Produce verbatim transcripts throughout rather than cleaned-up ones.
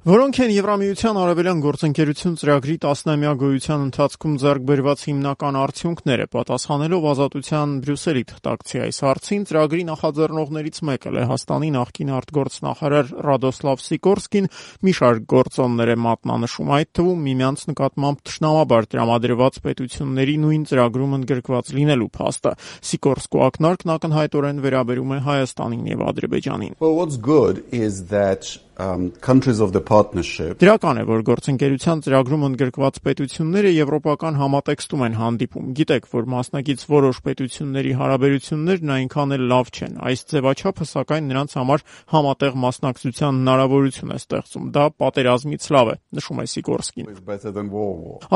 Որոնք են Եվրամիության արևելյան գործընկերություն ծրագրի տասնամյա գոյության ընթացքում ձեռք բերված հիմնական արդյունքները, պատասխանելով Ազատության Բրյուսելի թղթակցի այս հարցին, ծրագրի նախաձեռնողներից մեկը Լեհաստանի նախկին արտգործնախարար Ռադոսլավ Սիկորսկին մի շարք գործոններ է մատնանշում, այդ թվում միմյանց նկատմամբ թշնամաբար տրամադրված պետությունների նույն ծրագրում ընդգրկված լինելու փաստը։ Սիկորսկու ակնարկն ակնհայտորեն վերաբերում է Հայաստանին եւ Ադրբեջանին։ Well, what's good is that Um, countries of the partnership Դրական է, որ գործընկերության ծրագրում ընդգրկված պետությունները եվրոպական համատեքստում են հանդիպում։ Գիտեք, որ մասնակից որոշ պետությունների հարաբերություններն այնքան էլ լավ չեն։ Այս ձևաչափը, սակայն, նրանց համար համատեղ մասնակցության հնարավորություն է ստեղծում։ Դա պատերազմից լավ է, նշում է Սիկորսկին։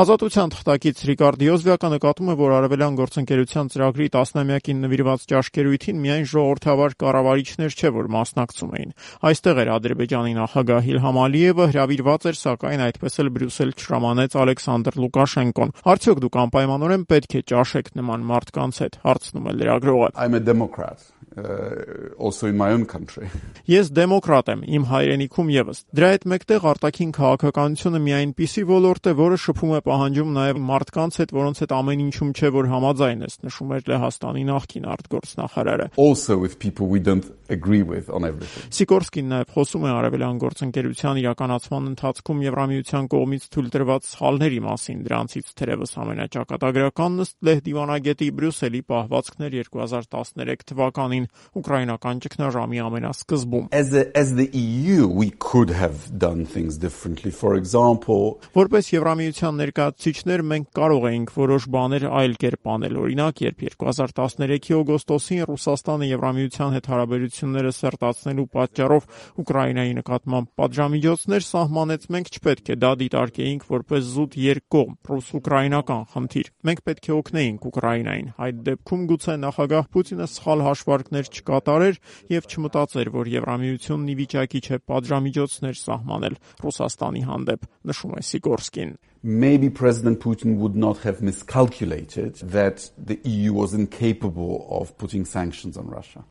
Ազատության թղթակից Ռիկարդ Յոզվյակը նկատում է, որ արևելյան գործընկերության ծրագրի տասնամյակին նվիրված ճաշկերույթին միայն ժողովրդավար կառավարիչներ չէ, որ մասնակցում էին։ Այստեղ էր Ադրբեջանի նախագահ Իլհամ Ալիևը, հրավիրված էր, սակայն այդպես էլ Բրյուսել չհրամանեց Ալեքսանդր Լուկաշենկոն։ Արդյոք դուք անպայմանորեն պետք է ճաշեք նման մարդկանց հետ, հարցնում է լրագրողը։ I'm a Democrat. Uh, also in my own country. Ես դեմոկրատ եմ, իմ հայրենիքում եւս։ Դրա հետ մեկտեղ արտաքին քաղաքականությունը մի այնպիսի ոլորտ է, որը շփում է պահանջում նաեւ մարդկանց հետ, որոնց հետ ամեն ինչում չէ, որ համաձայն ես, նշում էր Լեհաստանի նախկին արտգործնախարարը։ Also with people we don't agree with on everything. Սիկորսկին նաեւ խոսում է արևելյան գործընկերության իրականացման ընթացքում Եվրամիության կողմից թույլ տրված սխալների մասին, դրանցից թերևս ամենաճակատագրականն ըստ Լեհ դիվանագետի Բրյուսելի պահվածքն էր երկու հազար տասներեք թվականին ուկրաինական ճգնաժամի ամենասկզբում։ As the, as the E U we could have done things differently. For example, որպես Եվրամիության ներկայացուցիչներ մենք կարող էինք որոշ բաներ այլ կերպ անել։ Օրինակ, երբ երկու հազար տասներեքի օգոստոսին Ռուսաստանը Եվրամիության հետ հարաբերությունները սերտացնելու պատճառով Ուկրաինայի նկատմամբ պատժամիջոցներ սահմանեց, մենք չպետք է դա դիտարկեինք որպես զուտ երկկողմ ռուս-ուկրաինական խնդիր։ Մենք պետք է օգնեինք Ուկրաինային։ Այդ դեպքում գուցե նախագահ Պուտինը սխալ հաշվարկներ չկատարեր եւ չմտածեր, որ Եվրամիությունն ի վիճակի չէ պատժամիջոցներ սահմանել Ռուսաստանի հանդեպ, նշում է Սիկորսկին։ Maybe President Putin would not have miscalculated that the E U was incapable of putting sanctions on Russia.